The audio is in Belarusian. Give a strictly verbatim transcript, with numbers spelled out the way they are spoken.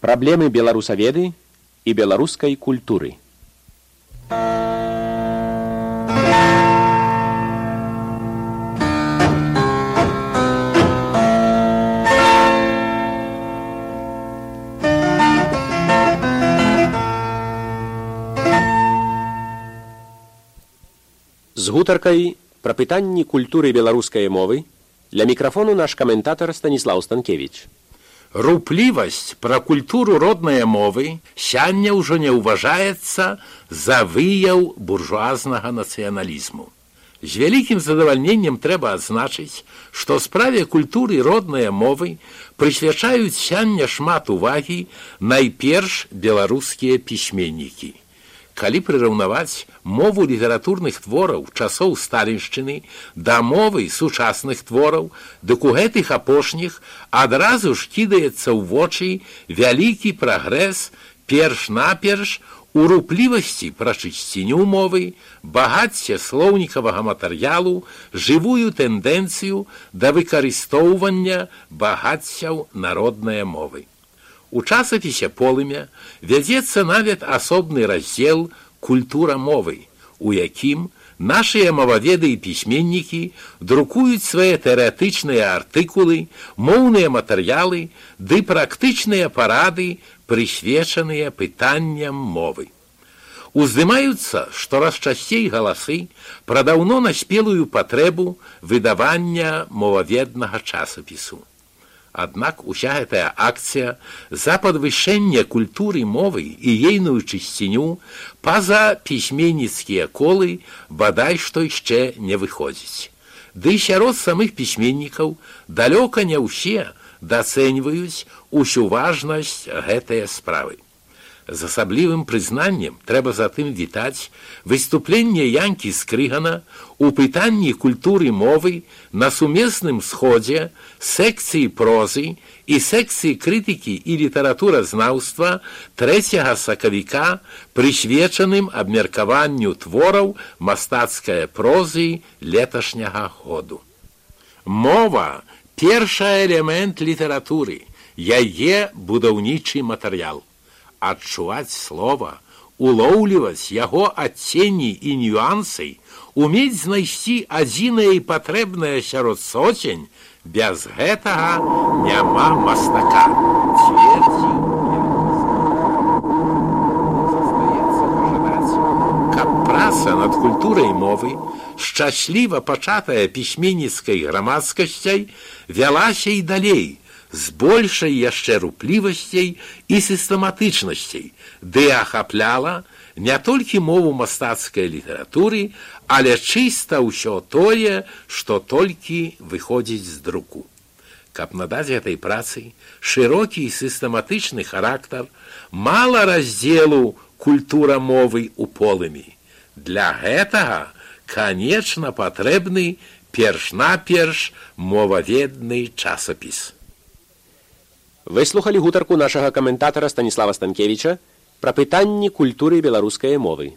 Праблемы беларусаведы і беларускай культуры. З гутаркай пра пытанні культуры беларускай мовы для мікрафону наш каментатар Станіслаў Станкевіч. Руплівасць пра культуру роднай мовы сяння ўжо не ўважаецца за выяў буржуазнага нацыяналізму. З вялікім задавальненнем трэба адзначыць, што справе культуры роднай мовы прысвячаюць сяння шмат увагі найперш беларускія пісьменнікі. Калі прыраўнаваць мову літаратурных твораў часоў сталіншчыны да мовы сучасных твораў, дык у гэтых апошніх адразу ж кідаецца ў вочы вялікі прагрэс перш-наперш у руплівасці пра чысціню мовы, багацце слоўнікавага матэрыялу, жывую тэндэнцыю да выкарыстоўвання багаццяў народнай мовы. У часопісе «Полымя» вядзецца нават асобны раздзел «Культура мовы», у якім нашыя моваведы і пісьменнікі друкуюць свае тэарэтычныя артыкулы, моўныя матэрыялы ды практычныя парады, прысвечаныя пытанням мовы. Уздымаюцца штораз часцей галасы пра даўно наспелую патрэбу выдавання моваведнага часопісу. Аднак уся гэтая акцыя за падвышэнне культуры мовы і ейную чысціню па-за пісьменніцкія колы бадай што яшчэ не выходзіць. Ды сярод самых пісьменнікаў далёка не ўсе дацэньваюць усю важнасць гэтае справы. З асаблівым прызнаннем трэба затым вітаць выступленне Янкі Скрыгана у пытанні культуры мовы на сумесным сходзе секцыі прозы і секцыі крытыкі і літаратуразнаўства трэцяга сакавіка, прысвечаным абмеркаванню твораў мастацкай прозы леташняга году. Мова – першы элемент літаратуры, яе будаўнічы матэрыял. Адчуваць слова, улоўліваць яго адценні і нюансы, умець знайсці адзінае і патрэбнае сярод соцень, без гэтага няма мастака. Цвердзіў застаецца пажадаць, каб праца над культурай мовы, шчасліва пачатая пісьменніцкай грамадскасцяй, вялася і далей, з большай яшчэ руплівасцей і сістэматычнасцей, ды ахапляла не толькі мову мастацкай літаратуры, але чыста ўсё тое, што толькі выходзіць з друку. Каб надаць гэтай працы шырокі і сістэматычны характар, мала раздзелу «Культура мовы ў полымі». Для гэтага, канечна, патрэбны перш-наперш моваведны часопіс. Вы слухалі гутарку нашага каментатара Станіслава Станкевіча пра пытанні культуры беларускай мовы.